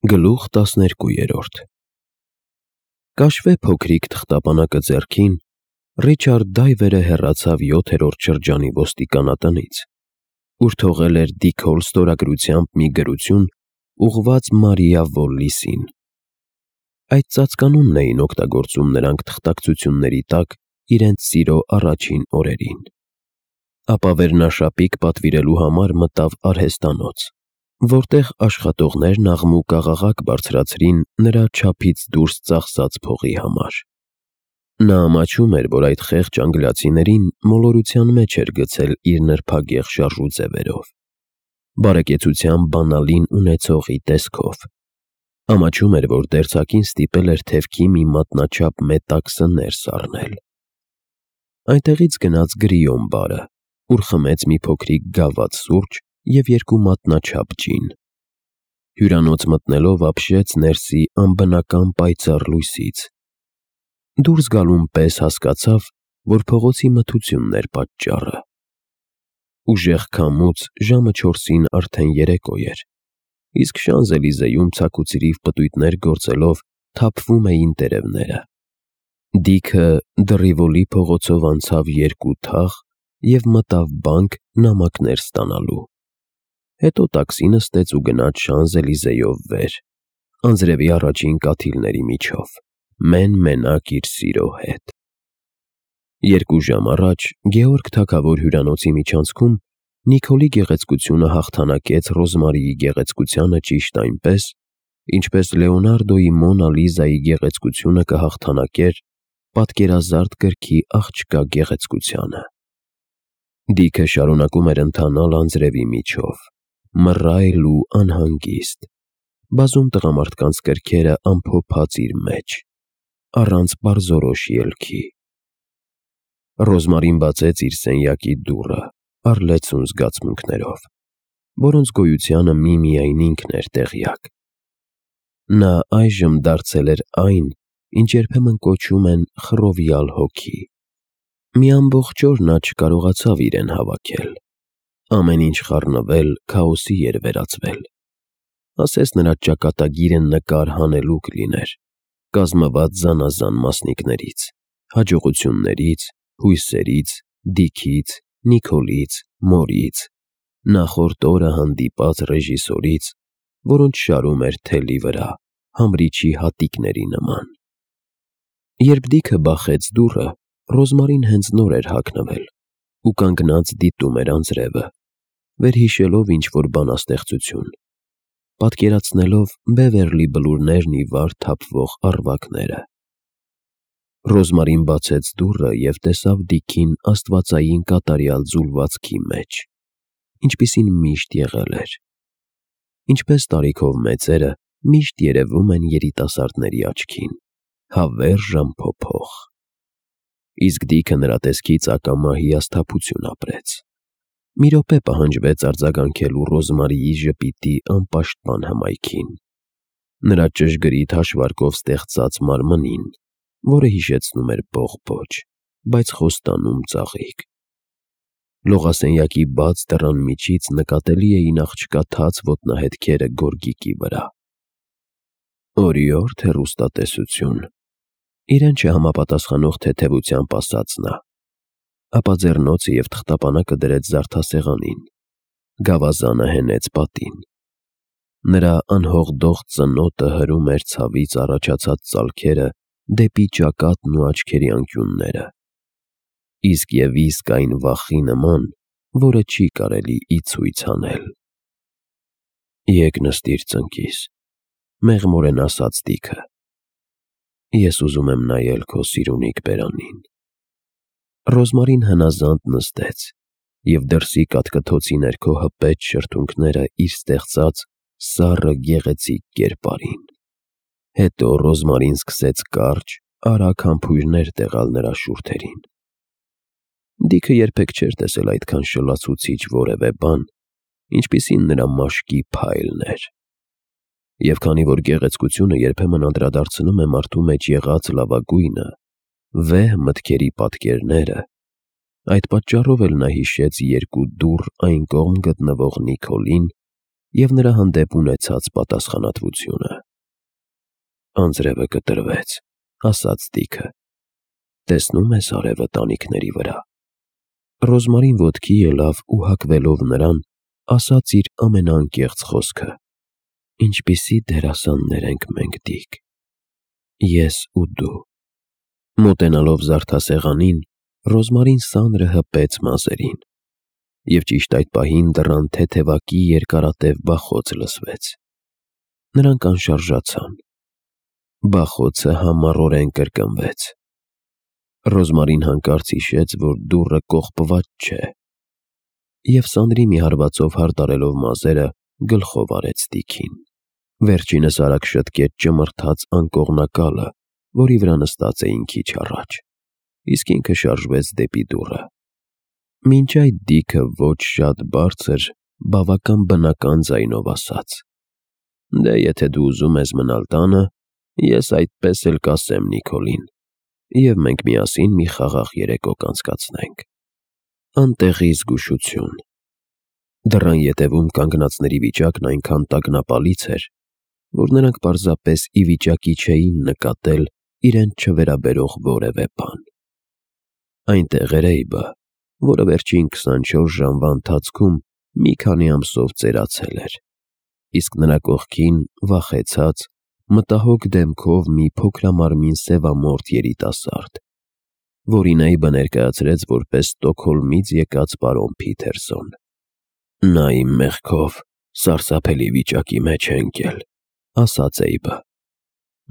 Գլուխ 12 Կաշվե փոքրիկ թղթապանակը ձեռքին, Ռիչարդ Դայվերը հեռացավ 7-րդ շրջանի ոստիկանատնից, ուր թողել էր Դիք Հոլ ստորագրությամբ մի գրություն, ուղղված Մարիա Վոլլիսին։ Այդ ծածկանունն էին օգտագործում նրանք թղթակցությունների տակ իրենց սիրո առաջին օրերին։ Ապա վերնաշապիկ պատվիրելու համար մտավ արհեստանոց, որտեղ աշխատողներն աղմուկ-աղաղակ բարձրացրին նրա չափից դուրս ծախսած փողի համար։ Նա ամաչում էր, որ այդ խեղճ անգլիացիներին մոլորության մեջ էր գցել իր նրբագեղ շարժուձևերով, բարեկեցության բանալին ունեցողի տեսքով։ Ամաչում էր, որ դերձակին ստիպել էր թևքի մի մատնաչափ մետաքսը ներս առնել։ Այնտեղից գնաց Գրիոն բարը, ուր խմեց մի փոքրիկ գաված սուրճ և 2 մատնաչափ ջին։ Հյուրանոց մտնելով ապշեց ներսի անբնական պայծառ լույսից։ Դուրս գալուն պես հասկացավ, որ փողոցի մթությունն էր պատճառը։ Ուժեղ քամուց ժամը 4-ին արդեն երեկո էր, իսկ Շանզելիզեում ցաքուցրիվ պտույտներ գործելով թափվում էին տերևները։ Դիքը Դռիվոլի փողոցով անցավ 2 թաղ և մտավ բանկ նամակներ ստանալու։ Հետո տաքսի նստեց ու գնաց Շանզելիզեով վեր, անձրևի առաջին կաթիլների միջով, մեն-մենակ իր սիրո հետ։ 2 ժամ առաջ Գեորգ թագավոր հյուրանոցի միջանցքում Նիկոլի գեղեցկությունը հաղթանակեց Ռոզմարիի գեղեցկությանը ճիշտ այնպես, ինչպես Լեոնարդոյի Մոնա Լիզայի գեղեցկությունը կհաղթանակեր պատկերազարդ գրքի աղջկա գեղեցկությանը։ Դիքը շարունակում էր ընթանալ անձրևի միջով, մռայլ ու անհանգիստ, բազում տղամարդկանց կրքերը ամփոփած իր մեջ, առանց պարզորոշ ելքի։ Ռոզմարին բացեց իր սենյակի դուռը առլեցուն զգացմունքներով, որոնց գոյությանը միմիայն ինքն էր տեղյակ։ Նա այժմ դարձել էր այն, ինչ երբեմն կոչում են խռովյալ հոգի։ Մի ամբողջ օր նա չկարողացավ իրեն հավաքել։ Ամեն ինչ խառնվել, քաոսի էր վերածվել։ Ասես նրա ճակատագիրը նկար հանելուկ լիներ, կազմված զանազան մասնիկներից, հաջողություններից, հույսերից, Դիքից, Նիկոլից, մորից, նախորդ օրը հանդիպած ռեժիսորից, որոնց շարում էր թելի վրա, համրիչի հատիկների նման։ Երբ Դիքը բախեց դուռը, Ռոզմարին հենց նոր էր հագնվել ու կանգնած դիտում էր անձրևը, վերհիշելով ինչ-որ բանաստեղծություն, պատկերացնելով Բևերլի Բլուրներն ի վար թափվող առվակները։ Ռոզմարին բացեց դուռը և տեսավ Դիքին աստվածային կատարյալ ձուլվածքի մեջ, ինչպիսին միշտ եղել էր, ինչպես տարիքով մեծերը միշտ երևում են երիտասարդների աչքին, հավերժ անփոփոխ։ Իսկ Դիքը նրա տեսքից ակամա հիասթափություն ապրեց։ Մի րոպե պահանջվեց արձագանքելու Ռոզմարիի ժպիտի անպաշտպան հմայքին, նրա ճշգրիտ հաշվարկով ստեղծած մարմնին, որը հիշեցնում էր բողբոջ, բայց խոստանում ծաղիկ։ Լողասենյակի բաց դռան միջից նկատելի էին աղջկա թաց ոտնահետքերը գորգիկի վրա։ Օրիորդ հեռուստատեսություն, իրեն չհամապատասխանող թեթևությամբ ասաց նա, ապա ձեռնոցը և թղթապանակը դրեց զարդասեղանին, գավազանը հենեց պատին։ Նրա անհողդող ծնոտը հրում էր ցավից առաջացած ծալքերը դեպի ճակատն ու աչքերի անկյունները, իսկ այն վախի նման, որը չի կարելի ի ցույց անել։ Եկ նստիր ծնկիս, մեղմորեն ասաց Դիքը, ես ուզում եմ նայել քո սիրունիկ բերանին։ Ռոզմարին հնազանդ նստեց և դրսի կաթկթոցի ներքո հպեց շրթունքները իր ստեղծած սառը գեղեցիկ կերպարին։ Հետո Ռոզմարին սկսեց կարճ, արագ համբույրներ տեղալ նրա շուրթերին։ Դիքը երբեք չէր տեսել այդքան շլացուցիչ որևէ բան, ինչպիսին նրա մաշկի փայլն էր։ Եվ քանի որ գեղեցկությունը երբեմն անդրադարձնում է մարդու մեջ եղած լավագույնը, վեհ մտքերի պատկերները, այդ պատճառով էլ նա հիշեց 2 դուռ այն կողմ գտնվող Նիկոլին և նրա հանդեպ ունեցած պատասխանատվությունը։ «Անձրևը կտրվեց», ասաց Դիքը։ «Տեսնում ես արևը տանիքների վրա»։ Ռոզմարին ոտքի ելավ ու հագվելով նրան, ասաց իր ամենաանկեղծ խոսքը. «Ինչպիսի դերասաններ ենք մենք, Դիք, ես ու դու»։ Մոտենալով զարդասեղանին, Ռոզմարին սանրը հպեց մազերին, և ճիշտ այդ պահին դռան թեթևակի երկարատև բախոց լսվեց։ Նրանք անշարժացան։ Բախոցը համառորեն կրկնվեց։ Ռոզմարին հանկարծ հիշեց, որ դուռը կողպված չէ, և սանրի մի հարվածով հարդարելով մազերը, գլխով արեց Դիքին։ Վերջինս արագ շտկեց ճմրթաց անկողնակալը, որի վրա նստած էին քիչ առաջ, իսկ ինքը շարժվեց դեպի դուռը։ Մինչ այդ Դիքը ոչ շատ բարձր, բավական բնական ձայնով ասաց. «Դե եթե դու ուզում ես մնալ տանը, ես այդպես էլ կասեմ Նիկոլին, և մենք միասին մի խաղաղ երեկո կանցկացնենք»։ Անտեղի զգուշություն։ Դռան ետևում կանգնածների վիճակն այնքան տագնապալից էր, որ նրանք պարզապես ի վիճակի չէին նկատել իրենց չվերաբերող որևէ բան։ Այնտեղ էր Էյբը, որը վերջին 24 ժամվա ընթացքում մի քանի ամսով ծերացել էր, իսկ նրա կողքին վախեցած, մտահոգ դեմքով մի փոքրամարմին սևամորթ երիտասարդ, որին Էյբը ներկայացրեց որպես Ստոկհոլմից եկած պարոն Փիթերսոն։ «Նա իմ մեղքով սարսափելի վիճակի մեջ է ընկել», ասաց Էյբը։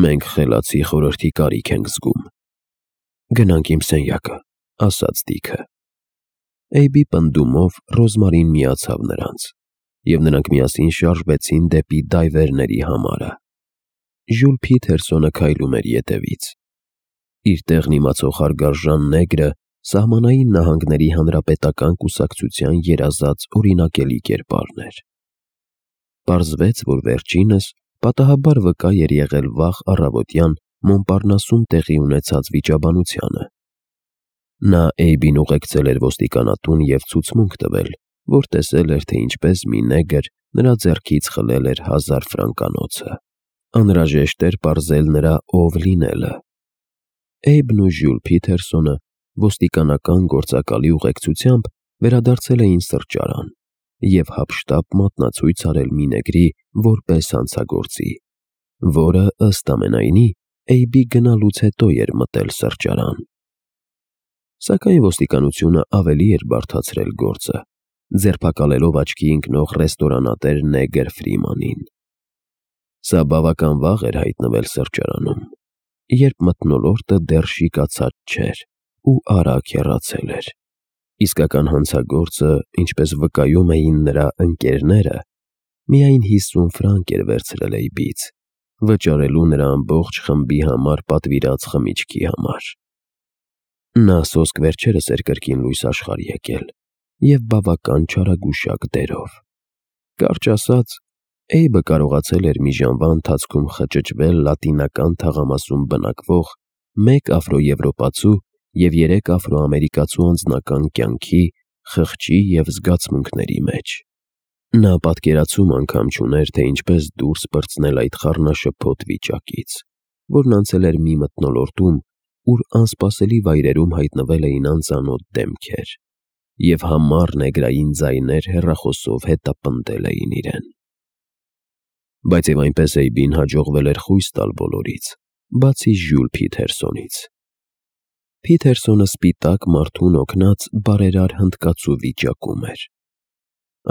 «Մենք խելացի խորհրդի կարիք ենք զգում»։ «Գնանք իմ սենյակը», ասաց Դիքը։ Էյբի պնդումով Ռոզմարին միացավ նրանց, և նրանք միասին շարժվեցին դեպի դայվերների համարը։ Ժյուլ Փիթերսոնը քայլում էր ետևից։ Իր տեղն իմացող հարգարժան նեգրը Սահմանային Նահանգների Հանրապետական կուսակցության երազած օրինակելի կերպարն էր։ Պարզվեց, որ վերջինս պատահաբար վկա էր եղել վաղ առավոտյան Մոնպարնասում տեղի ունեցած վիճաբանությանը։ Նա Էյբին ուղեկցել էր ոստիկանատուն և ցուցմունք տվել, որ տեսել էր, թե ինչպես մի նեգր նրա ձեռքից խլել էր 1000 ֆրանկանոցը։ Անհրաժեշտ էր պարզել նրա ով լինելը։ Էյբն ու Ժյուլ Փիթերսոնը ոստիկանական գործակալի ուղեկցությամբ վերադարձել էին սրճարան և հափշտապ մատնացույց արել մի նեգրի որպես հանցագործի, որը, ըստ ամենայնի, Էյբի գնալուց հետո էր մտել սրճարան։ Սակայն ոստիկանությունը ավելի էր բարդացրել գործը, ձերբակալելով աչքի ընկնող ռեստորանատեր նեգր Ֆրիմանին։ Սա բավական վաղ էր հայտնվել սրճարանում, երբ մթնոլորտը դեռ շիկացած չէր ու արագ հեռացել էր։ Իսկական հանցագործը, ինչպես վկայում էին նրա ընկերները, միայն 50 ֆրանկ էր վերցրել Էյբից, վճարելու նրա ամբողջ խմբի համար պատվիրած խմիչքի համար։ Նա սոսկ վերջերս էր կրկին լույս աշխարհ եկել և բավական չարագուշակ դերով։ Կարճ ասած, Էյբը կարողացել էր մի ժամվա ընթացքում խճճվել լատինական թաղամասում բնակվող 1 աֆրոեվրոպացու և 3 աֆրոամերիկացու անձնական կյանքի, խղճի և զգացմունքների մեջ։ Նա պատկերացում անգամ չուներ, թե ինչպես դուրս պրծնել այդ խառնաշփոթ վիճակից, որն անցել էր մի մթնոլորտում, ուր անսպասելի վայրերում հայտնվել էին անծանոթ դեմքեր, և համառ նեգրային ձայներ հեռախոսով հետապնդել էին իրեն։ Բայց և այնպես Էյբին հաջողվել էր խույս տալ բոլորից, բացի Ժյուլ Փիթերսոնից։ Փիթերսոնը սպիտակ մարդուն օգնած բարերար հնդկացու վիճակում էր։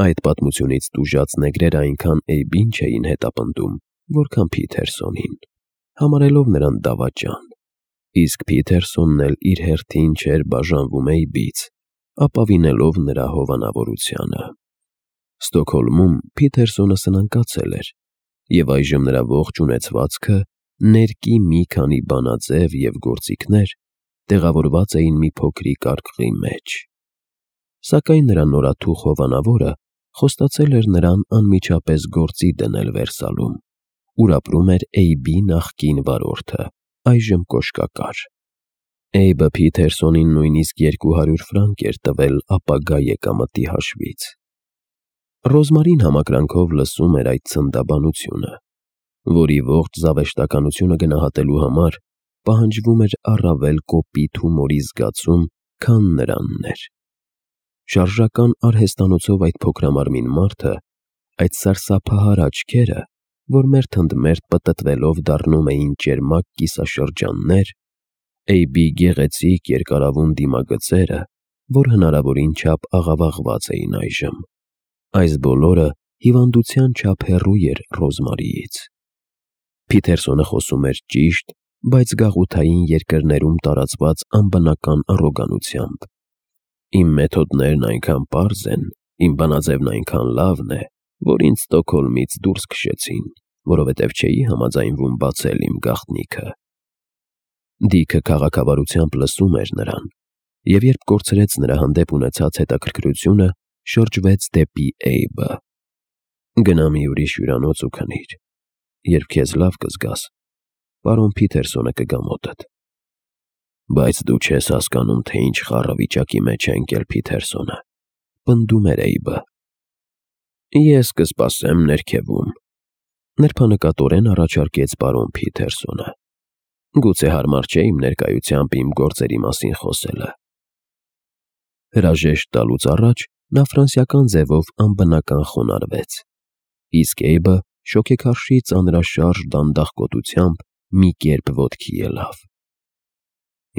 Այդ պատմությունից տուժած նեգրերը այնքան Էյբին չէին հետապնդում, որքան Փիթերսոնին, համարելով նրան դավաճան, իսկ Փիթերսոնն էլ իր հերթին չէր բաժանվում Էյբից, ապավինելով նրա հովանավորությանը։ Ստոկհոլմում Փիթերսոնը սնանկացել էր, և այժմ նրա ողջ ունեցվածքը, ներկի մի քանի բանաձև և գործիքներ տեղավորված էին մի փոքրիկ արկղի մեջ։ Սակայն նրա նորաթուխ հովանավորը խոստացել էր նրան անմիջապես գործի դնել Վերսալում, ուր ապրում էր Էյբի նախկին վարորդը, այժմ կոշկակար։ Էյբը Փիթերսոնին նույնիսկ 200 ֆրանկ էր տվել ապագա եկամտի հաշվից։ Ռոզմարին համակրանքով լսում էր այդ ցնդաբանությունը, որի ողջ զավեշտականությունը գնահատելու համար պահանջվում էր առավել կոպիտ հումորի զգացում, քան նրանն էր։ Շարժական արհեստանոցով այդ փոքրամարմին մարդը, այդ սարսափահար աչքերը, որ մերթ ընդ մերթ պտտվելով դառնում էին ճերմակ կիսաշրջաններ, Էյբի գեղեցիկ երկարավուն դիմագծերը, որ հնարավորին չափ աղավաղված էին այժմ, այս բոլորը հիվանդության չափ հեռու էր Ռոզմարիից։ Փիթերսոնը խոսում էր ճիշտ, բայց գաղութային երկրներում տարածված անբնական առոգանությամբ։ Իմ մեթոդներն այնքան պարզ են, իմ բանաձևն այնքան լավն է, որ ինձ Ստոկհոլմից դուրս քշեցին, որովհետև չէի համաձայնվում բացել իմ գաղտնիքը։ Դիքը քաղաքավարությամբ լսում էր նրան, և երբ կորցրեց նրա հանդեպ ունեցած հետաքրքրությունը, շրջվեց դեպի Էյբը։ Գնա մի ուրիշ հյուրանոց ու քնիր։ Երբ քեզ լավ կզգաս, պարոն Փիթերսոնը կգա մոտդ։ Բայց դու չես հասկանում, թե ինչ խառը վիճակի մեջ է ընկել Փիթերսոնը, պնդում էր Էյբը։ Ես կսպասեմ ներքևում, նրբանկատորեն առաջարկեց պարոն Փիթերսոնը։ Գուցե հարմար չէ իմ ներկայությամբ իմ գործերի մասին խոսելը։ Հրաժեշտ տալուց առաջ նա ֆրանսիական ձևով անբնական խոնարհվեց, իսկ Էյբը շոգեքարշի ծանրաշարժ դանդաղկոտությամբ մի կերպ ոտքի ելավ։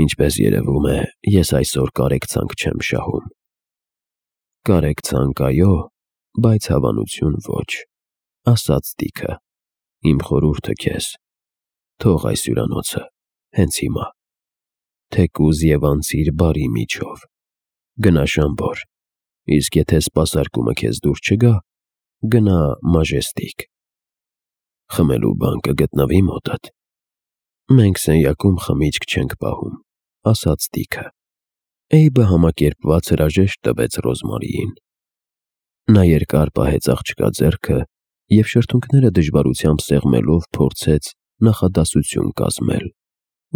Ինչպես երևում է, ես այսօր կարեկցանք չեմ շահում։ Կարեկցանք այո, բայց հավանություն ոչ, ասաց Դիքը։ Իմ խորհուրդը քեզ, թող այս հյուրանոցը, հենց հիմա, թեկուզ և անցիր բարի միջով, գնա Շամբոր, իսկ եթե սպասարկումը քեզ դուր չգա, գնա Մաժեստիկ։ Խմելու բան կգտնվի մոտդ։ Մենք սենյակում խմիչք չենք պահում, ասաց Դիքը։ Էյբը համակերպված հրաժեշտ տվեց Ռոզմարիին։ Նա երկար պահեց աղջկա ձեռքը և շրթունքները դժվարությամբ սեղմելով փորձեց նախադասություն կազմել,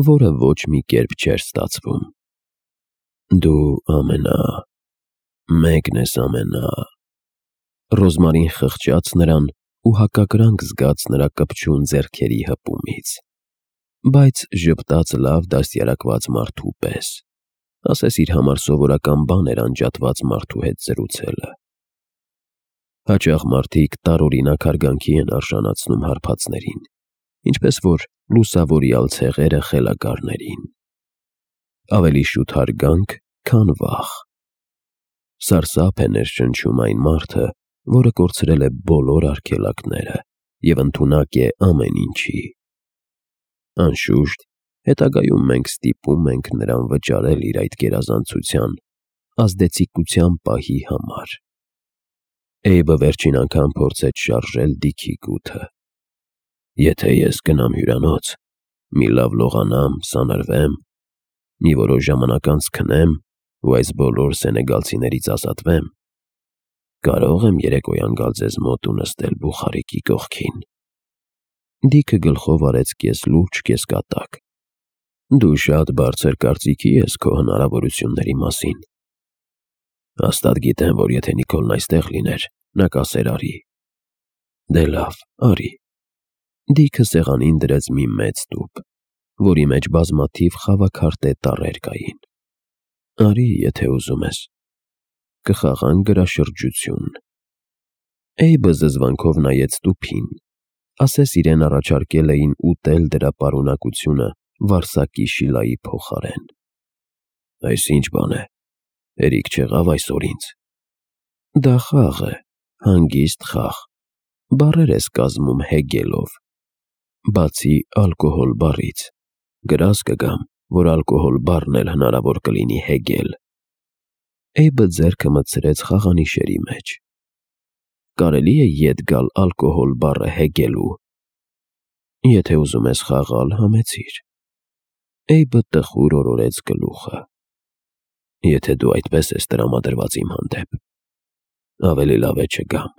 որը ոչ մի կերպ չէր ստացվում։ Դու մեկն ես ամենա… Ռոզմարին խղճաց նրան ու հակակրանք զգաց նրա կպչուն ձեռքերի հպումից, բայց ժպտաց լավ դաստիարակված մարդու պես, ասես իր համար սովորական բան էր անջատված մարդու հետ զրուցելը։ Հաճախ մարդիկ տարօրինակ հարգանքի են արժանացնում հարբածներին, ինչպես որ լուսավորյալ ցեղերը խելագարներին։ Ավելի շուտ հարգանք, քան վախ։ Սարսափ է ներշնչում այն մարդը, որը կորցրել է բոլոր արգելակները և ընդունակ է ամեն ինչի։ Անշուշտ, հետագայում մենք ստիպում ենք նրան վճարել իր այդ գերազանցության ազդեցիկության պահի համար։ Էյբը վերջին անգամ փորձեց շարժել Դիքի գութը։ Եթե ես գնամ հյուրանոց, մի լավ լողանամ, սանրվեմ, մի որոշ ժամանակ անց քնեմ ու այս բոլոր սենեգալցիներից ազատվեմ, կարող եմ երեկոյան գալ ձեզ մոտ ու նստել Բուխարիկի կողքին։ Դիքը գլխով արեց կես լուրջ, կես կատակ։ Դու շատ բարձր կարծիքի ես քո հնարավորությունների մասին։ Հաստատ գիտեմ, որ եթե Նիկոլն այստեղ լիներ, նա կասեր արի։ Դե լավ, արի։ Դիքը սեղանին դրեց մի մեծ տուփ, որի մեջ բազմաթիվ խավաքարտե տառեր կային։ Արի, եթե ուզում ես։ Կխաղանք գրաշրջություն։ Էյբը զզվանքով նայեց տուփին, ասես իրեն առաջարկել էին ուտել դրա պարունակությունը վարսակի շիլայի փոխարեն։ Այս ինչ բան է, հերիք չեղավ այսօր ինձ։ Դա խաղ է, հանգիստ խաղ, բառեր ես կազմում հեգելով։ Բացի ալկոհոլ բառից, գրած կգամ, որ ալկոհոլ բառն էլ հնարավոր կլինի հեգել։ Էյբը ձեռքը մտցրեց խաղանիշերի մեջ։ Կարելի է ետ գալ ալկոհոլ բառը հեգելու։ Եթե ուզում ես խաղալ, համեցիր։ Էյբը տխուր օրորեց գլուխը։ Եթե դու այդպես ես տրամադրված իմ հանդեպ, ավելի լավ է չգամ։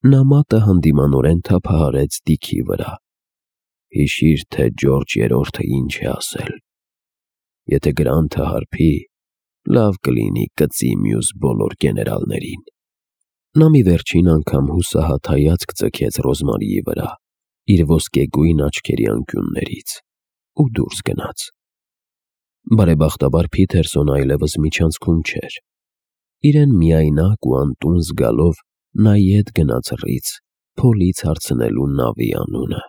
Նա մատը հանդիմանորեն թափահարեց Դիքի վրա։ Հիշիր, թե Ջորջ երրորդը ինչ է ասել. եթե Գրանթը հարբի, լավ կլինի կծի մյուս բոլոր գեներալներին։ Նա մի վերջին անգամ հուսահատ հայացք ձգեց Ռոզմարիի վրա իր ոսկեգույն աչքերի անկյուններից ու դուրս գնաց։ Բարեբախտաբար Փիթերսոնը այլևս միջանցքում չէր։ Իրեն միայնակ ու անտուն զգալով նա ետ գնաց ռիծ Փոլից հարցնելու նավի անունը։